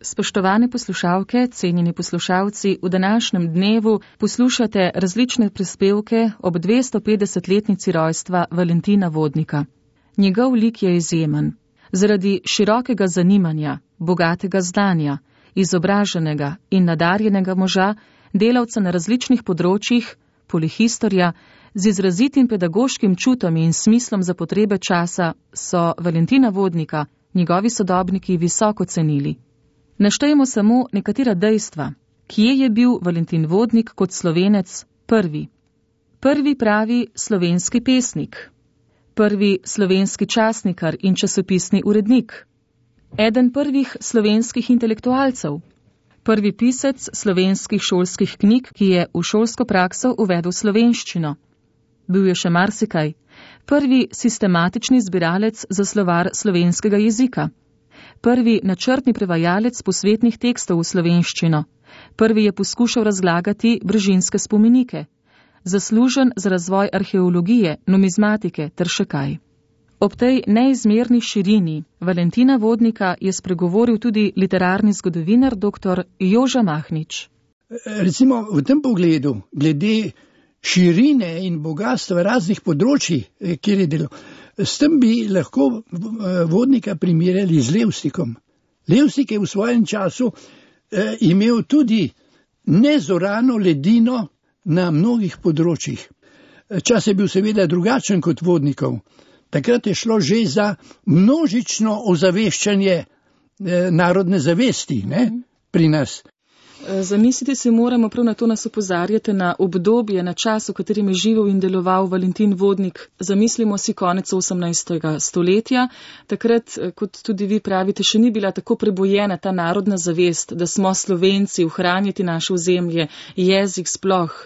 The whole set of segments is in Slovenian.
Spoštovane poslušalke, cenjeni poslušalci, v današnjem dnevu poslušate različne prispevke ob 250-letnici rojstva Valentina Vodnika. Njegov lik je izjemen. Zaradi širokega zanimanja, bogatega znanja, izobraženega in nadarjenega moža, delavca na različnih področjih, polihistorja, z izrazitim pedagoškim čutom in smislom za potrebe časa, so Valentina Vodnika njegovi sodobniki visoko cenili. Naštejemo samo nekatera dejstva. Kje je bil Valentin Vodnik kot Slovenec prvi? Prvi pravi slovenski pesnik. Prvi slovenski časnikar in časopisni urednik. Eden prvih slovenskih intelektualcev. Prvi pisec slovenskih šolskih knjig, ki je v šolsko prakso uvedel slovenščino. Bil je še marsikaj. Prvi sistematični zbiralec za slovar slovenskega jezika. Prvi načrtni prevajalec posvetnih tekstov v slovenščino. Prvi je poskušal razlagati brežinske spomenike. Zaslužen za razvoj arheologije, numizmatike ter še kaj. Ob tej neizmerni širini Valentina Vodnika je spregovoril tudi literarni zgodovinar dr. Joža Mahnič. Recimo v tem pogledu, glede širine in bogatstva raznih področji, kjer je delal, s tem bi lahko Vodnika primerjali z Levstikom. Levstik je v svojem času imel tudi nezorano ledino na mnogih področjih. Čas je bil seveda drugačen kot Vodnikov. Takrat je šlo že za množično ozaveščanje narodne zavesti, pri nas. Zamisliti se moramo, prav na to nas opozarjate, na obdobje, na čas, v katerem je živel in deloval Valentin Vodnik. Zamislimo si konec 18. stoletja. Takrat, kot tudi vi pravite, še ni bila tako prebojena ta narodna zavest, da smo Slovenci, ohranjati naše ozemlje, jezik sploh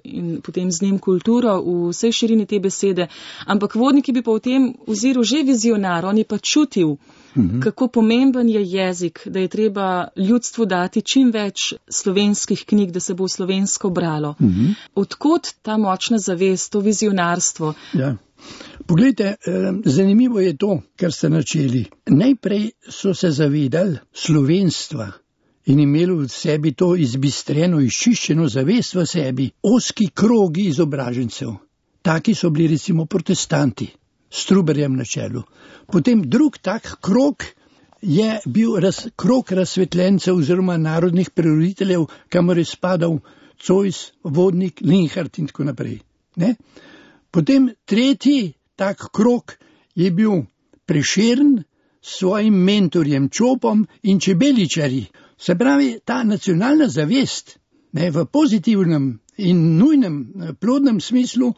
in potem z njim kulturo v vsej širini te besede. Ampak Vodnik bi pa v tem oziru že vizionar, on je pa čutil, kako pomemben je jezik, da je treba ljudstvu dati čim več slovenskih knjig, da se bo slovensko bralo. Odkot ta močna zavest, to vizionarstvo? Ja. Poglejte, zanimivo je to, kar ste načeli. Najprej so se zavedali slovenstva in imeli v sebi to izbistreno, izčiščeno zavest v sebi, ozki krogi izobražencev. Taki so bili recimo protestanti, s Truberjem na čelu. Potem drug tak krog je bil krog razsvetljencev oziroma narodnih preroditeljev, kamor je spadal Zois, Vodnik, Linhart in tako naprej. Potem tretji tak krog je bil Prešern s svojim mentorjem Čopom in Čebeličarji. Se pravi, ta nacionalna zavest v pozitivnem in nujnem plodnem smislu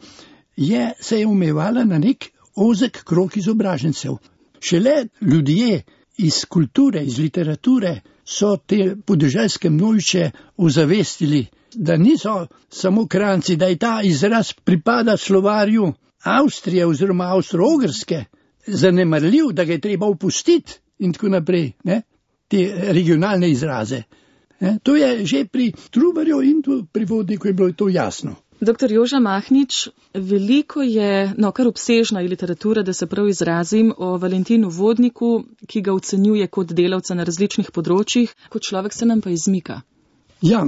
se je omejevala na nek ozek krog izobražencev. Šele ljudje iz kulture, iz literature so te podeželske množice ozavestili, da niso samo Kranjci, da je ta izraz pripada slovarju Avstrije oziroma Avstro-Ogrske, zanemarljiv, da ga je treba opustiti in tako naprej, te regionalne izraze. To je že pri Truberju in pri Vodniku je bilo to jasno. Dr. Joža Mahnič, veliko je, kar obsežna je literatura, da se prav izrazim, o Valentinu Vodniku, ki ga ocenjuje kot delavca na različnih področjih, kot človek se nam pa izmika. Ja,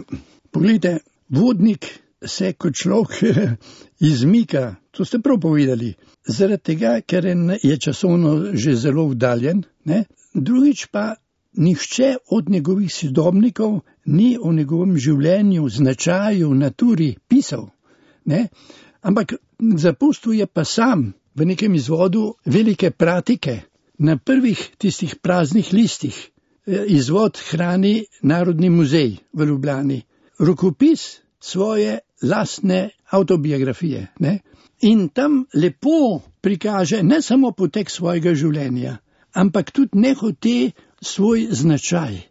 pogledajte, Vodnik se kot človek izmika, to ste prav povedali, zaradi tega, ker je časovno že zelo vdaljen, drugič pa nihče od njegovih sodobnikov ni o njegovem življenju, značaju, naturi pisal. Ampak zapustil je pa sam v nekem izvodu velike pratike na prvih tistih praznih listih. Izvod hrani Narodni muzej v Ljubljani. Rokopis svoje lastne avtobiografije. In tam lepo prikaže ne samo potek svojega življenja, ampak tudi nehote svoj značaj.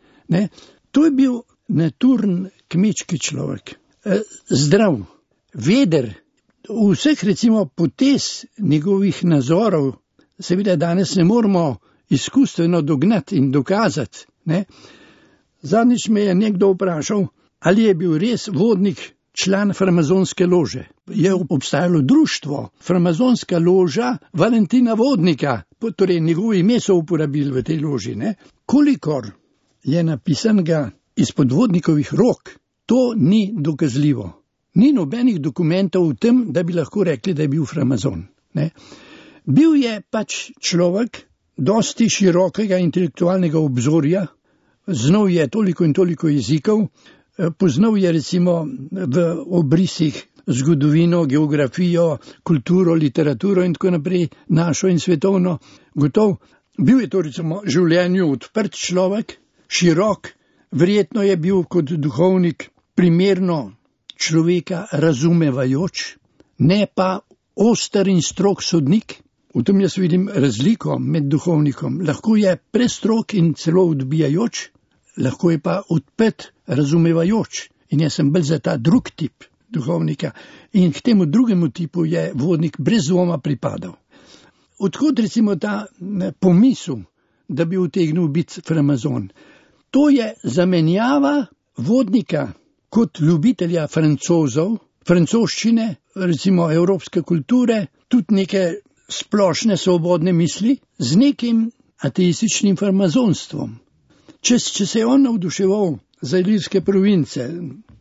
To je bil naturn kmečki človek. Zdrav, veder, vseh recimo potez njegovih nazorov, seveda danes ne moramo izkustveno dognati in dokazati. Zadnjič me je nekdo vprašal, ali je bil res Vodnik član farmazonske lože. Je obstajalo društvo, farmazonska loža Valentina Vodnika, torej njegovo ime so uporabili v tej loži. Kolikor je napisanega izpod vodnikovih rok, to ni dokazljivo. Ni nobenih dokumentov v tem, da bi lahko rekli, da je bil Framazon. Ne? Bil je pač človek dosti širokega intelektualnega obzorja, znal je toliko in toliko jezikov, poznal je recimo v obrisih zgodovino, geografijo, kulturo, literaturo in tako naprej, našo in svetovno, gotov. Bil je to recimo življenju odprt človek, širok, verjetno je bil kot duhovnik primerno človeka razumevajoč, ne pa oster in strog sodnik. V tem jaz vidim razliko med duhovnikom. Lahko je prestrog in celo odbijajoč, lahko je pa odprt, razumevajoč. In jaz sem bolj za ta drug tip duhovnika. In k temu drugemu tipu je vodnik brez dvoma pripadal. Odhod recimo ta pomisel, da bi utegnil biti Framazon. To je zamenjava vodnika kot ljubitelja Francozov, francoščine, recimo evropske kulture, tudi neke splošne svobodne misli, z nekim ateističnim farmazonstvom. Če se je on navduševal za ilirske province,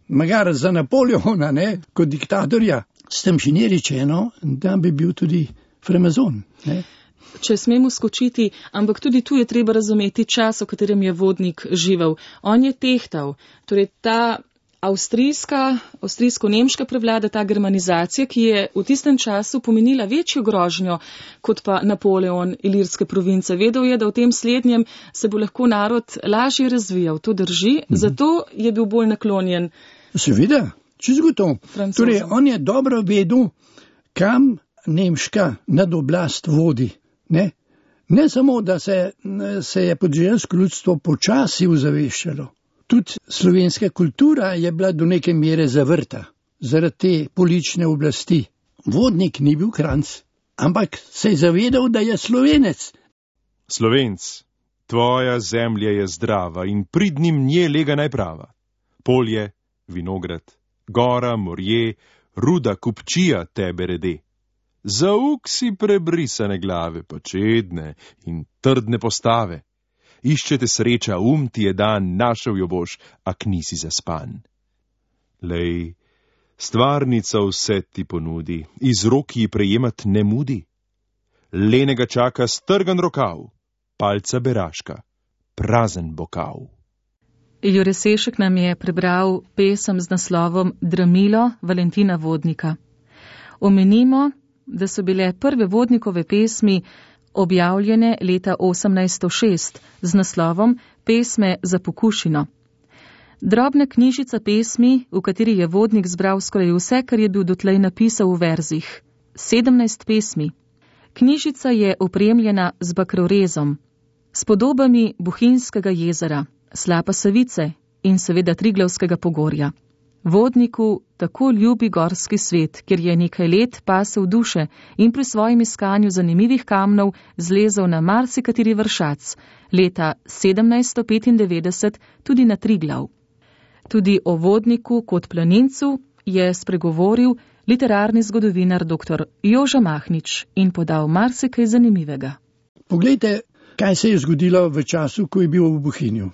magar za Napoleona, ne, kot diktatorja, s tem še ni rečeno, da bi bil tudi Framazon. Ne. Če smemo skočiti, ampak tudi tu je treba razumeti čas, v katerem je vodnik živel. On je tehtal, torej ta avstrijsko-nemška prevlada, ta germanizacija, ki je v tistem času pomenila večjo grožnjo kot pa Napoleon ilirske province. Vedel je, da v tem slednjem se bo lahko narod lažje razvijal. To drži, zato je bil bolj naklonjen. Seveda, čisto to. Torej, on je dobro vedel, kam nemška nadoblast vodi. Ne samo, da se je podeželsko ljudstvo počasi ozaveščalo. Tudi slovenska kultura je bila do neke mere zavrta zaradi te politične oblasti. Vodnik ni bil Kranjc, ampak se je zavedal, da je Slovenec. Slovenc, tvoja zemlja je zdrava in pridnim nje lega najprava. Polje, vinograd, gora, morje, ruda, kupčija tebe rede. Zauk si prebrisane glave, počedne in trdne postave. Iščete sreča, ti je dan, našel jo boš, ak nisi zaspan. Lej, stvarnica vse ti ponudi, iz rok ji prejemat ne mudi. Lenega čaka strgan rokav, palca beraška, prazen bokav. Jure Sešek nam je prebral pesem z naslovom Dramilo Valentina Vodnika. Omenimo, da so bile prve vodnikove pesmi objavljene leta 1806 z naslovom Pesme za pokušino. Drobna knjižica pesmi, v kateri je vodnik zbral skoraj vse, kar je bil dotlej napisal v verzih. 17 pesmi. Knjižica je opremljena z bakrorezom, s podobami Bohinjskega jezera, Slapa Savice in seveda Triglavskega pogorja. Vodniku tako ljubi gorski svet, kjer je nekaj let pasel duše in pri svojem iskanju zanimivih kamnov zlezel na marsikateri vršac, leta 1795 tudi na Triglav. Tudi o vodniku kot planincu je spregovoril literarni zgodovinar dr. Joža Mahnič in podal marsikaj zanimivega. Poglejte, kaj se je zgodilo v času, ko je bil v Bohinju.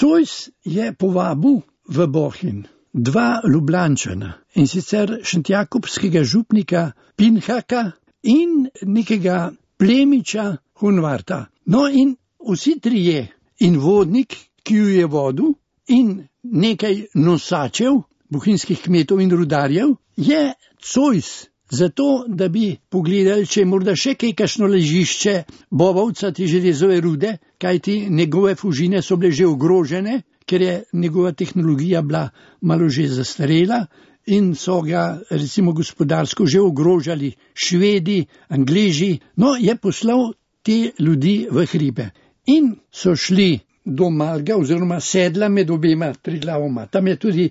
Zois je povabil v Bohinj 2 Ljubljančana, in sicer šentjakobskega župnika Pinhaka in nekega plemiča Hunvarta. No in vsi trije, in vodnik, ki ju je vodil, in nekaj nosačev, bohinjskih kmetov in rudarjev, je Zois, zato da bi pogledali, če je morda še kakšno ležišče bobovca te železove rude, kajti njegove fužine so bile že ogrožene, ker je njegova tehnologija bila malo že zastarela in so ga recimo gospodarsko že ogrožali Švedi, Angleži. No, je poslal te ljudi v hribe in so šli do Malga oziroma sedla med obema Triglavoma. Tam je tudi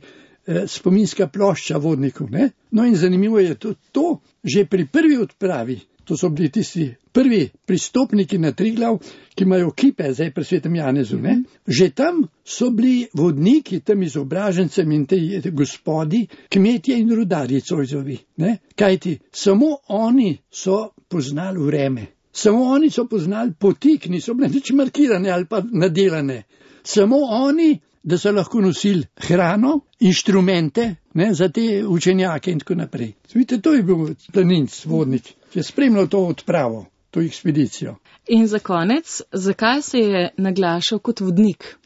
spominska plošča vodnikov. Ne? No in zanimivo je to, že pri prvi odpravi, to so bili tisti prvi pristopniki na Triglav, ki imajo kipe zdaj pri Svetem Janezu. Ne? Že tam so bili vodniki, tam izobražencem in te gospodi, kmetje in rudarji Zoisovi. Kajti samo oni so poznali vreme. Samo oni so poznali poti, ki niso bile nič markirane ali pa nadelane. samo oni, da so lahko nosili hrano, inštrumente, za te učenjake in tako naprej. Vidite, to je bil planinc, vodnik, ki je spremljal to odpravo, to ekspedicijo. In za konec, zakaj se je naglašal kot vodnik?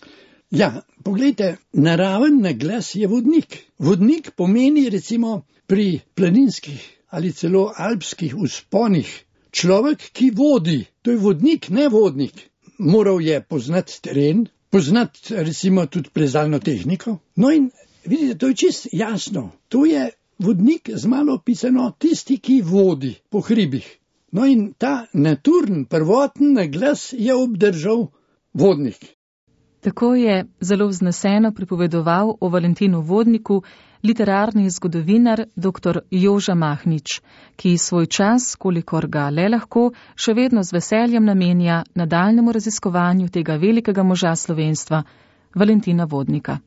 Ja, poglejte, naraven naglas je vodnik. Vodnik pomeni recimo pri planinskih ali celo alpskih vzponih človek, ki vodi. To je vodnik, ne vodnik. Moral je poznati teren, poznati recimo tudi plezalno tehniko. No in vidite, to je čisto jasno. To je vodnik z malo pisano tisti, ki vodi po hribih. No in ta naturn, prvoten naglas je obdržal vodnik. Tako je zelo vzneseno pripovedoval o Valentinu Vodniku literarni zgodovinar dr. Joža Mahnič, ki svoj čas, kolikor ga le lahko, še vedno z veseljem namenja nadaljnjemu raziskovanju tega velikega moža slovenstva, Valentina Vodnika.